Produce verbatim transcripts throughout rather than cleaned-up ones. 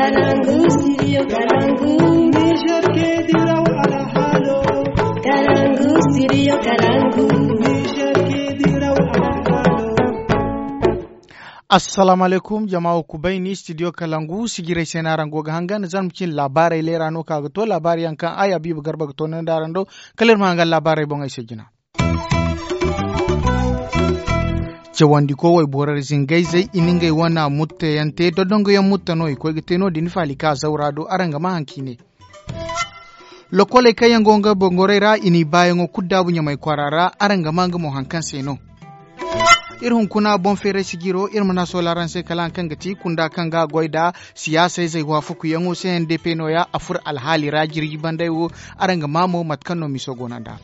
Kalangu, studio Kalangu. Niger ke diraw alhalo. Kalangu, studio Kalangu. Niger ke diraw alhalo. Assalamu alaikum, jama wo kubay ni studio Kalangu, sijiray se no araŋ go ga hangan, zama cin laabaarey leera no ka ga to, laabaari yaŋ kaŋ ay Habiibu Garba ga to nandi araŋ do. Kala iri ma hangan laabaarey boŋey se jina. Cawandiko wayborey zingayzey, i na ngey wana mutteyaŋ te, dodongoyaŋ mutta no i koy ga te no-din faali ka zawra do, araŋ ga maa haŋ kaŋ i ne. Lokoley kaŋ yaŋ go nga bangorey ra, i n'i baayaŋo kulu daabu Ɲamay kwaara ra, araŋ ga maa nga mo haŋ kaŋ se no. Iri hunkuna boŋ feeray sijiro, iri ma naŋ a soola araŋ se kala haŋ kaŋ ga ti kunda kaŋ ga goy nda siyaasa izey waafakuyaŋo se, N D P nooya, a furo alhaali ra jirji banday wo, araŋ ga maa mo mate kaŋ no miso go no nd'a.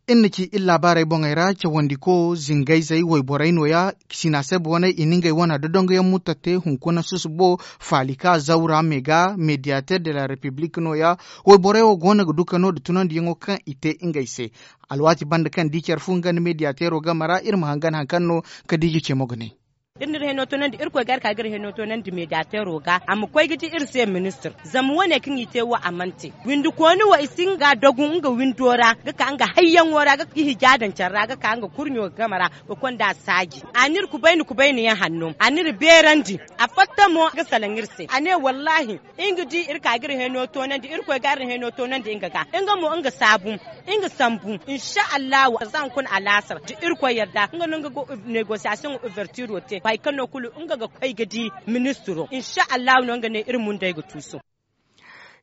Iri na ci iri laabaarey boŋey ra, cawandiko zingayzey wayborey nooya, Sinaseb waney, i na ngey wana dodongoyaŋ muttate hunkuna susubo, faali ka zawra me ga, mediateur de la République nooya. Wayborey wo go no ga duka no nda tunandiyaŋo kaŋ i te ngey se. Alwaati banda kaŋ di care fu nga nda mediateero game ra, iri ma hangan haŋ kaŋ no Kadiija ce mo ga ne. Iri n'iri heno toonandi, Irkoy ga iri ka ga iri heno toonandi mediateero ga, a ma koy ga di iri se ministir. Zama wane kaŋ i te wo, a mana te. Windi kooni wo, i si nga dogu nga windo ra, ga ka nga hayyaŋo ra, ga i hija daŋ care ra, ga ka nga kurɲo game ra, ga konda saaji. A n'iri kubayni kubayni yaŋ hanno, a n'iri beerandi. A fatta mo ga salaŋ iri se, a ne wallaahi, nga di iri ka ga iri heno toonandi, Irkoy ga iri heno toonandi nga ga, nga mo nga saabu, nga sambu. Insa Allahu, za hunkuna alaasar da Irkoy yarda, nga no nga ga negosiyasiyoŋ ouvertiro te, boro kaŋ no kulu nga ga koy ga di ministiro. Insa Allahu no nga ne iri mundey ga tuusu.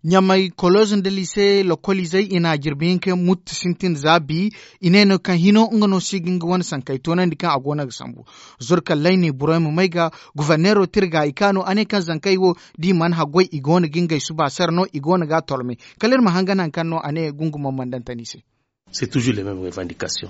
Ɲamay koloz nda lise lokoliizey i na jirbi hinka mutti sintin za bi. I ne no kaŋ hino nga no si ga nga wane sankey toonandi kaŋ a go no ga sambu. Zurkallay ne borey ma may ga. Guverneero tirga i ka no a ne kaŋ zankey wo, da i mana haggoy, i go no ga ngey suba sara no, i go no ga a tolme. Kala iri ma hangan haŋ kaŋ no a ne gungumo mana daŋ tani se.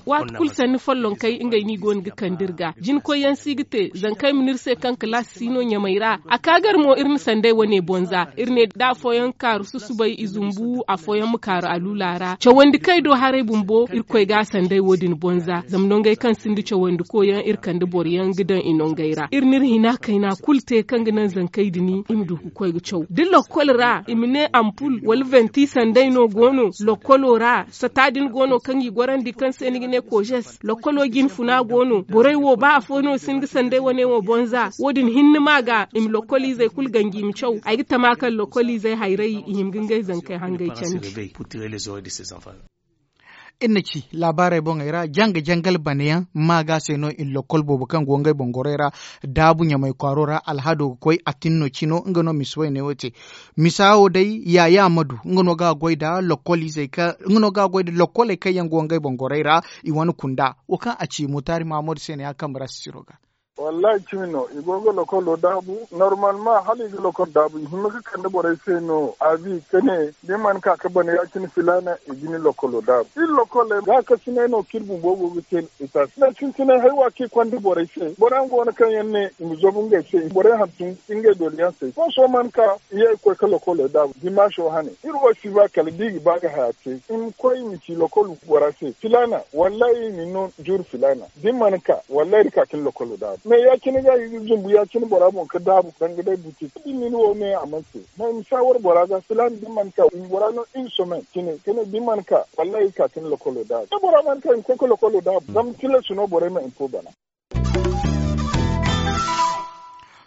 Waati kulu sanni follonkey ngey no i go no ga kande iri ga. Jinkoyyaŋ si ga te, zankey ma n'iri se kaŋ kalaasi si no ɲamay ra. A ka gar mo iri na sanday wane bonza. Iri ne da afooyaŋ kaaru susubay i zumbu, afooyaŋ ma kaaru aluula ra. Cawandi kay do haray bumbo, Irkoy ga a sanday wo-din bonza. Zama nongey kaŋ sinda cawandi koyyaŋ, iri kande boroyaŋ ga daŋ i nongey ra. Iri n'iri hina kayna kulu te kaŋ ga naŋ zankey din i ma du ga koy ga caw. Da lokkol ra, i ma ne ampul wala venti sanday no go no lokkolo ra, sata din go no kaŋ i gorandi kaŋ se ni ga ne kojes. Lokkolo jinfuna go no. Borey wo, ba afo no si hin ga sanday wane wo bonza. Wo-din hinne ma ga, i ma lokkoliizey kulu ganji i ma caw. Ay ga tama kaŋ lokkoliizey hayray i hima ga ngey zankey hangey candi. Iri na ci laabaarey boŋey ra, janga-jangal banayaŋ ma ga se no i na lokkol boobo kaŋ go ngey boŋ gorey ra daabu ɲamay kwaaro ra. Alhado ga koy a tin no cino, nga no misa wayne wo te. Misa wo day, yaya ma du, nga no ga a goy nda lokkol izey ka nga no ga a goy nda lokkoley kaŋ yaŋ go ngey boŋ gorey ra. I wane kunda wo kaŋ a ci mutaari mahammadu se ne a kambe ra sisiro ga. Wallahi cimi no i go ga lokolo daabu. Normalement hala i ga lokolo daabu i hima ga kande borey se no a bi ka ne da ni mana ka ga bana ya- cine filaana, i ga ni lokolo daabu. Iri lokoley gaakasinay no kaŋ iri bumbo go ga te. Itaasi da sintinay haywa kaŋ i konda borey se bora yaŋ go no kaŋ yaŋ ne i ma zabu ngey se, borey hantum ngey dooliyaŋ se. Sohõ sohõ mana ka i ye ga koy ga lokoley daabu dimaaso hane. Iri wo si ba kala da i ga ba ga haya te i ma koy i ma ci lokol bora se filaana, wallahi i ma ni no juuri filaana. Da ni mana ka, wallahi iri ka ka ni lokolo daabu me ya- cine ga i ga zumbu ya- cine bora boŋ ga daabu danga day buti da ni wo me a mana te. Ma i ma saawar bora ga filaana da ni mana ka i ma bora no iri somen cine ka ne da ni mana ka, wallahi iri ka ka ni lokolo daabu da bora mana ka i ma koy ga lokolo daabu zama tilas no borey ma info bana.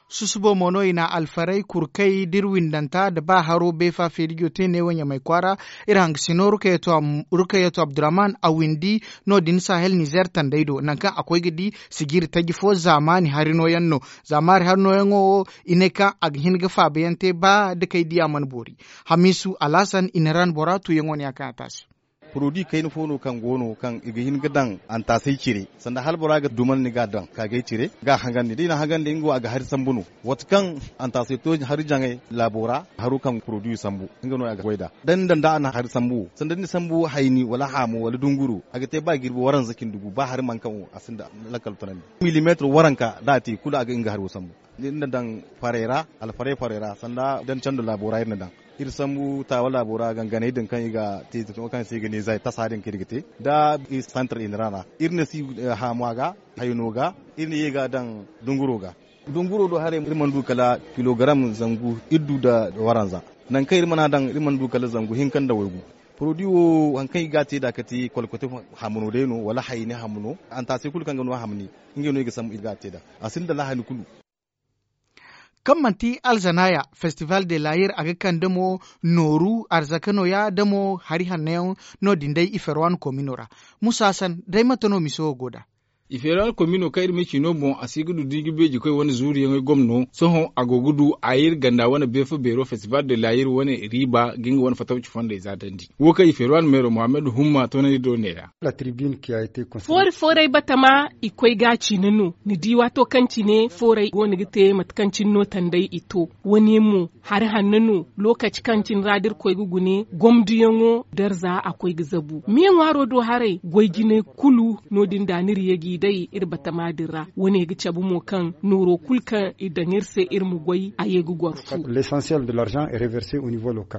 Susubo mo no i na alfaray kurkay da iri windanta nda ba haro beefa feerijo te neewo ɲamay kwaara. Iri hangasino rukayetu abdurrahman a windi no- din sahel nizer tandey do nangu kaŋ a koy ga di sijiri taji fo zaamaani hari nooyaŋ no. Zaamaari hari nooyaŋo wo i ne kaŋ a ga hin ga faabayaŋ te ba da kay diya mana boori. Hamiisu alhasan i na ran bora tuuyaŋo ne ya kaŋ a taasi. Poroduwi kayna fo no kaŋ go no kaŋ i ga hin ga daŋ antaasay cire sanda hala bora ga duman ni ga a daŋ kaagay cire ga a hangandi da i na a hangandi nga wo a ga hari sambu no. Waati kaŋ antaasay to hari jaŋay laabo ra haro kaŋ poroduwi sambu nga no a ga goy nd'a da ni daŋ da a na hari sambu wo sanda ni sambu hayni wala haamo wala dunguro a ga te ba jirbi waranza cindi gu ba hari mana kaŋ wo a sinda lakkal tunandi. Milimeetir waranka da a te kulu a ga nga hari wo sambu. Iri na daŋ farey ra, alfarey farey ra sanda dancando laabo ra iri na daŋ. Iri sambu taawa laabo ra ganganey din kaŋ i ga te, kaŋ se i ga ne zay tasa din kaŋ iri ga te nda iri santar iri ra. Iri na si haamu a ga, hayno ga, iri na ye ga a daŋ dunguro ga. Dunguro do haray iri mana du kala kilogaram zangu iddu nda waranza. Nangu kaŋ iri mana daŋ iri mana du kala zangu hinka nda waygu. Porodi wo hari kaŋ i ga a te nd'a kati kolkote, hamno day no wala hayni hamno. Antaase kulu kaŋ ga no hamni, ngey no i ga sambu i ga a te nd'a. A sinda lahani kulu. Kaŋ manti alzanaya festival de layir a ga kande mo nooru arzaka nooya da mo hari hanno yaŋ. No- din day i ferwan komino ra. Musa hasan day mate no miso wo go nd'a? I feera wane komino kaŋ iri ma ci no boŋ a si ga du da i ga beeji koy wane zuuriyaŋey gomno. Sohõ a go ga du a iri ganda wane beefa beero festival de layir wane riiba ga nga wane fatawci fondey za dandi. Wo kaŋ i feera wane meero muhammad humma toonandi do neera. Foori fooray batama i koy ga a cine no. Ni di waato kaŋ cine fooray go no ga te mate kaŋ cine no tanday i to. Wane mo hari hanno no. Lookaci kaŋ cine ra da iri koy ga gune gomdiyaŋo darza a koy ga zabu me ŋwaaro do haray goy jinay kulu. No- din da ni iri ye g'i day iri batama din ra. Wane ga cabe mo kaŋ nooro kulu kaŋ i daŋ iri se iri ma goy a ye ga goro fu.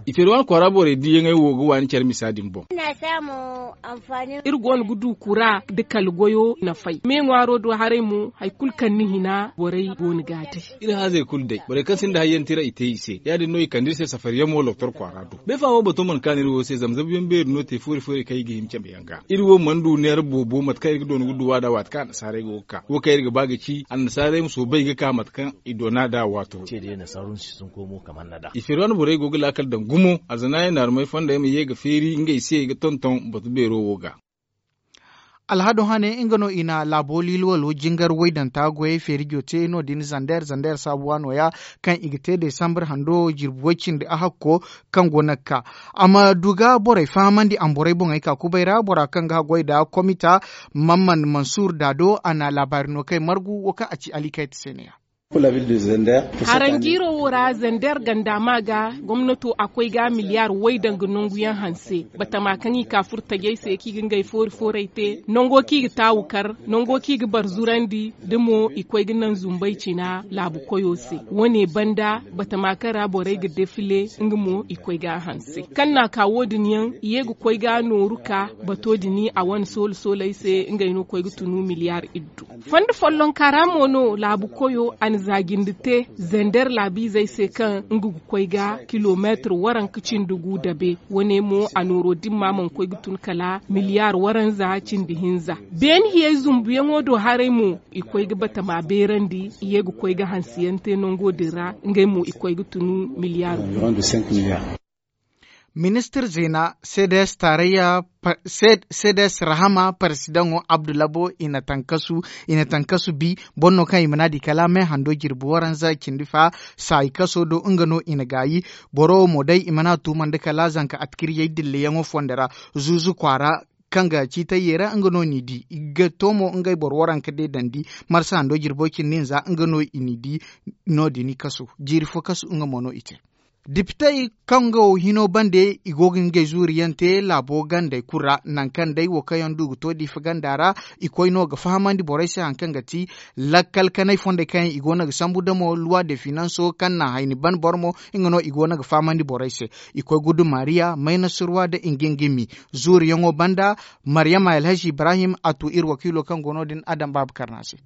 I feera wane kwaara borey diiyaŋey wo ga waani care misa din boŋ. Iri go no ga du kura nda kala goyo nafay me ŋwaaro do haray mo hari kulu kaŋ ni hina borey go no ga a day. Iri haazey kulu day borey kaŋ sinda hayyaŋ tira i te i se ya- din no i kande iri se safariyaŋ mo loktor kwaara do. Beefa wo bato mana kaanu iri wo se zama zabuyaŋ beeri no te foori foori kaŋ i ga hima cabe yaŋ ga. Iri wo mana du neera boobo mate kaŋ iri ga doona ga duw'a nd'a waati kaŋ annasaarey go ga ka wo kaŋ iri ga ba ga ci annasaarey ma soobay ga ka mate kaŋ i doona nd'a waato. I feeri wane borey go ga laakal daŋ gumo alzanaayey naarumey fondey ma ye ga feeri ngey se ga tonton batu beero wo ga. Alhado hane nga no i na laabo liilwalo jingar waydanta goyey feerijo te no- din zander zander saabuwa nooya kaŋ i ga te desambar hando jirbi way cindi a hakko kaŋ go no ga ka. A ma du ga borey fahamandi a ma borey boŋey ka kubay ra bora kaŋ ga haggoy nda komita. Mamman mansur daado a na laabaari no kay margu wo kaŋ a ci alikayta se ne ya. Haranjiiro wo ra zander ganda ma ga gomnato a koy ga miliyar way danga nanguyaŋ hanse. Batama kaŋ i ka furo tajey se kaŋ i ga ngey foori fooray te nango kaŋ i ga taawu kar nango kaŋ i ga barzurandi da mo i koy ga naŋ zumbay cina laabu koyo se. Wane banda batama kaŋ ra borey ga defile nga mo i koy ga a hanse kaŋ na a ka wo- din yaŋ i ye ga koy ga nooru ka bato din a wane soolo sooley se ngey no koy ga tunu miliyar iddu. Fondo follonka ra mo no laabu koyo a na zaajindi te zander laabiizey se kaŋ nga ga koy ga kilomeetir waranka cindi gu dabe. Wane mo a nooro dimma mana koy ga tun kala miliyar waranza cindi hinza. Beene hiyey zumbuyaŋo do haray mo i koy ga batama beerandi i ye ga koy ga hansiyaŋ te nango din ra ngey mo i koy ga tunu miliyar gu. Ministir zeena cds tarayya cds rahama paresidaŋo abdulabo i na tankasu bi boro no kaŋ i mana di kala me hando jirbi waranza cindi fa saayi kaso do nga no i na gaayi. Boro wo mo day i mana tumandi kala zanka atkiriyey dilleyaŋo fondo ra zuuzu kwaara kaŋ ga ciitay yeera nga no n'i di i ga to mo ngey boro waranka deedandi marsa hando jirbo cindi nza nga no i n'i di. No- din i kasu jiiri fo kasu nga mo no i te. Depitey kaŋ go hino bande i go ga ngey zuuriyaŋ te laabo gandey kulu ra nangu kaŋ day wo kaŋ yaŋ du ga to diifa ganda ra i koy no ga fahamandi borey se hari kaŋ ga ti lakkal kanay fondey kaŋ yaŋ i go no ga sambu damo luwa de finanso kaŋ na hayni ban boro mo nga no i go no ga fahamandi borey se. I koy gudu mariya maynasurwa nda ingingimi zuuriyaŋo banda. Maryama alhazi ibrahim a tu iri wakiilo kaŋ go no- din adam baaba karna se.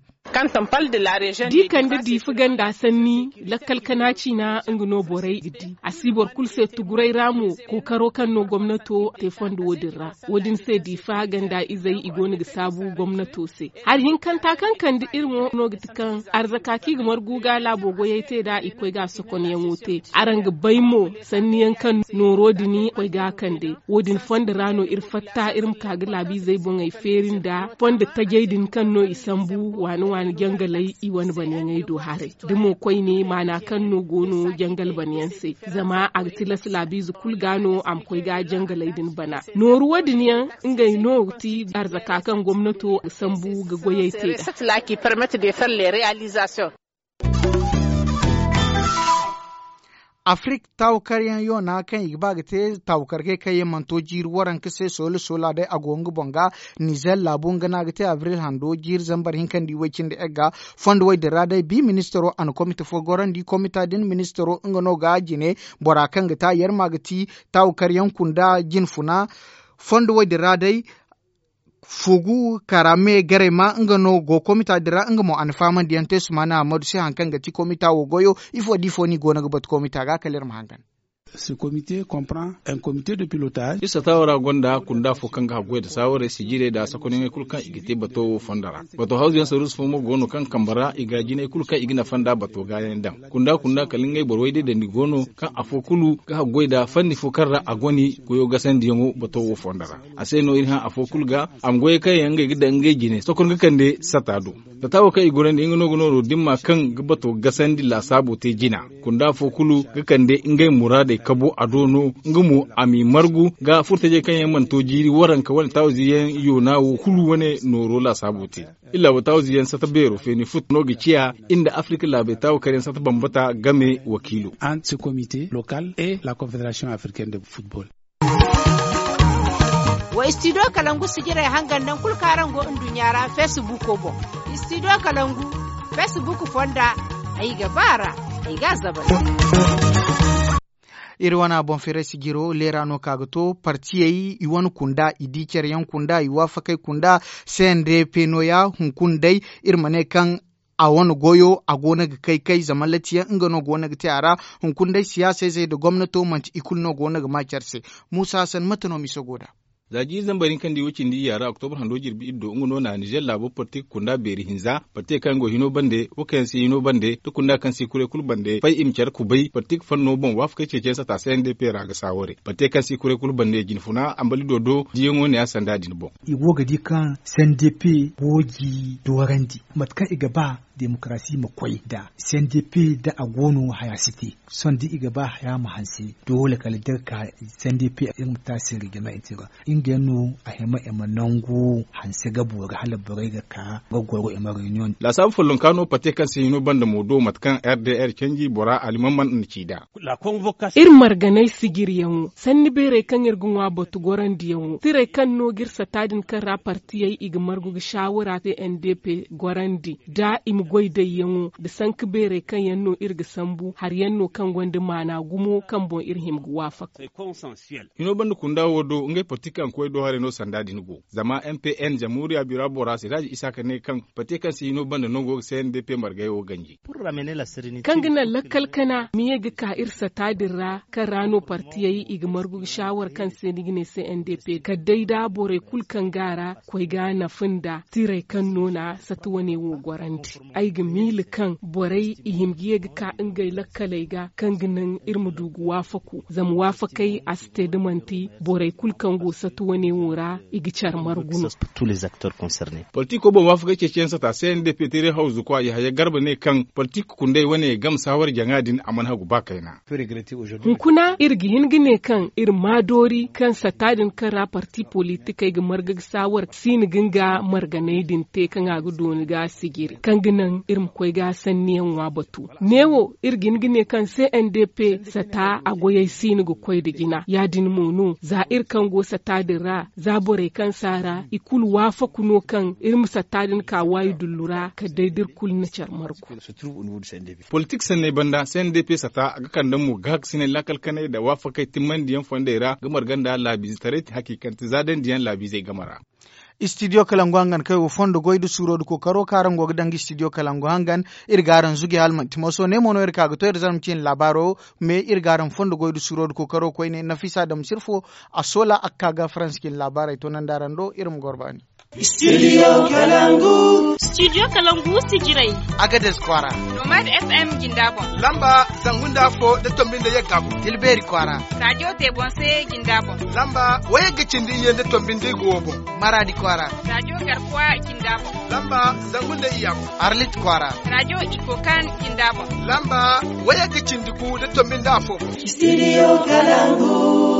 Di kande diifa ganda sanni lakkal kana ciina nga no borey ga di a si boro kulu se tuguray ra mo kookaro kaŋ no gomnato te fondo wo- din ra. Wo- din se diifa ganda izey i go no ga saabu gomnato se. Hari hinkanta kaŋ kande iri mo no ga ti kaŋ arzaka kaŋ i ga margu ga laabo goyey te nd'a i koy ga a sokonyaŋo te. Araŋ ga bay mo sanniyaŋ kaŋ nooro din koy ga a kande. Wo- din fondo ra no iri fatta iri ma ka ga laabiizey boŋey feeri nda fondo tajey din kaŋ no i sambu waani waani jangaley i wane banyaŋey do haray. Da mo koyne maana kaŋ no go no jangal banyaŋ se zama a ga tilas laabiize kulu ga no a ma koy ga jangaley din bana. Nooru wo- din yaŋ ngey no ga ti arzaka kaŋ gomnato ga sambu ga goyey te nd'a. Afirik taawakaryaŋ yoona kaŋ i ga ba ga te taawakar gay kaŋ yaŋ mana to jiiri waranka se soola soola day a go nga boŋ ga. Nizer laabu nga no a ga te abril hando jiiri zambar hinkandi way cindi egga. Fondo way din ra day bi ministaro a na komite fo gorandi komita din ministaro nga no ga jine bora kaŋ ga ta yarma ga ti taawakaryaŋ kunda jinfuna. Fondo way din ra day fugu kara me garay ma nga no go komita din ra nga mo a na fahamandi yaŋ te sumana ammadu se hari kaŋ ga ti komita wo goyo. Ifo da ifo no i go no ga batu komita ga kala iri ma hangan. Iri sata wo ra gonda kunda fo kaŋ ga haggoy nda saawarey sijirey nda sakonyaŋey kulu kaŋ i ga te bato wo fondo ra. Bato hawzu yaŋ saruusu fo mo go no kaŋ kambe ra i ga jinay kulu kaŋ i ga nafa nda bato gaayaŋ daŋ kunda kunda kala ngey boro way day dandi go no kaŋ afo kulu ga haggoy nda fanni fo kaŋ ra a goni goyo gasandiyaŋo bato wo fondo ra. A se no iri hã afo kulu ga a ma goyey kaŋ yaŋ ngey ga daŋ ngey jine sokor ga kande sata do. Sata wo kaŋ i gorandi nga no ga nooro dimma kaŋ ga bato gasandi laasaabo te jina. Kunda afo kulu ga kande ngey muraadey kabo a do no nga mo a m'i margu ga furtajey kaŋ yaŋ mana to jiiri waranka wane taawazi yaŋ yoona wo kulu wane nooro laasaabo te. Illa wo taawazi yaŋ sata beero feeni fut no ga ciya iri nda afirika laabey taawakaryaŋ sata bambata game wakiilo. Wa istidiyo kalangu sijirey hangan naŋ kulu kaŋ araŋ go nduɲɲa ra feesibuuko boŋ. Istidiyo kalangu feesibuuko fonda ay ga ba a ra. Ay ga a zabari. Iri wane boŋ feeray sijiro leera no ka ga to partiyey i wane kunda i di care yaŋ kunda i waafakey kunda. C n d p nooya hunkuna day iri ma ne kaŋ a wane goyo a go no ga kay kay zama latiyaŋ nga no go no ga te a ra. Hunkuna day siyaasa izey nda gomnato manti i kulu no go no ga ma care se. Muusa hasan mate no miso go nd'a? Za jiiri zambar hinka nda i wo cindi iyya ra oktobra hando jirbi iri do nga no na nizer laabo parti ga kunda beeri hinza parti kaŋ yaŋ go hino bande wo kaŋ yaŋ si hino bande nda kunda kaŋ si kuray kulu bande fay i ma care kubay parti fanno boŋ waafakey ceeciyaŋ sata c n d p ra ga saaware parti kaŋ si kuray kulu bande jinfuna ambali do do diyaŋo ne a sanda din boŋ. I go ga di kaŋ c n d p go ga i doorandi mate kaŋ i ga ba demokarasi ma koy nda c n d p da a go no haya si te. Sohõ da i ga ba haya ma hanse doole kala da iri ka c n d p iri ma taasi iri ga no i te ga nga yaŋ no a hima i ma nangu hanse ga boori hala borey ga ka ga goro i ma reunion. Laasaabu follonka no pate kaŋ se hino banda mo do mate kaŋ r d r canji bora alimamman na ci nd'a. Iri marganay sijiryaŋo sanni beerey kaŋ iri ga ŋwa batu gorandiyaŋo tirey kaŋ no ga iri sata din kaŋ ra partiyey i ga margu ga saawara te n d p gorandi nda i ma goy dayyaŋo nda sanka beerey kaŋ yaŋ no iri ga sambu hari yaŋ no kaŋ gonda maana gumo kaŋ boŋ iri hima ga waafak. Hino banda kunda wo do ngey parti kaŋ ga koy do haray no sanda din go zama m p n jamhuriya bira bora siraaji isaaka ne kaŋ pate kaŋ se hino banda no go ga c n d p margay wo ganji. Kaŋ ga naŋ lakkal kana ma ye ga ka iri sata din ra kaŋ ra no partiyey i ga margu ga saawar kaŋ se ni ga ne c n d p kala day da borey kulu kaŋ ga a ra koy ga nafa nda tirey kaŋ no na sata wane wo gorandi. Ay ga miila kaŋ borey i hima ga ye ga ka ngey lakkaley ga kaŋ ga naŋ iri ma du ga waafaku zama waafakey a si te da manti borey kulu kaŋ go sata wane wo ra i ga care margu no. Politiko boŋ waafakey ceeciyaŋ sata c n d p teeray hawzu kwa yahaya garba ne kaŋ politik kundey wane game saawar jaŋa din a mana hagu ba kayna. Hunkuna iri ga hin ga ne kaŋ iri ma doori kaŋ sata din kaŋ ra parti politikey ga marga ga saawar siini ga nga marganey din te kaŋ a ga dooni ga sijiri kaŋ ga naŋ iri ma koy ga sanniyaŋ ŋwa batu. Neewo iri ga hin ga ne kaŋ c n d p sata a goyey siini ga koy nda jina ya- din mo no za iri kaŋ go sata din ra za borey kaŋ si a ra i kulu waafaku no kaŋ iri ma sata din ka waayi dullu ra kala day da iri kulu na care margu. Politik sanney banda c n d p sata a ga kande mo gaakasinay laakal kanay nda waafakey timmandiyaŋ fondey ra ga marga nda laabiizetaray te hakiikante za dandiyaŋ laabiizey game ra. Istidiyo kalangu hangan kaŋ ay wo fondo goy nda suuro nda kookaro kaŋ araŋ go ga daŋ ga istidiyo kalangu hangan iri ga araŋ zuge hala manti moso ne mo no iri ka ga to iri zarma ciine laabaaro. Me iri ga araŋ fondo goy nda suuro nda kookaro koyne nafisa dam sirfo a soola a ga ka ga faransa ciine laabaarey to naŋ da araŋ do iri ma goro baani. Studio kalangu. Studio kalangu sijirey. Agades kwaara. Nomad f m jinda boŋ. Lamba zangu nda afo da tombi nda yagga boŋ tilbeeri kwaara. Rajo tebonse jinda boŋ. Lamba wayagga cindi iyye nda tombi nda igo wo boŋ. Maradi kwaara. Rajo garkuwa jinda boŋ. Lamba zangu nda iyya boŋ. Arlit kwaara. Rajo ikokan jinda boŋ. Lamba wayagga cindi gu nda tombi nda afo boŋ. Studio kalangu.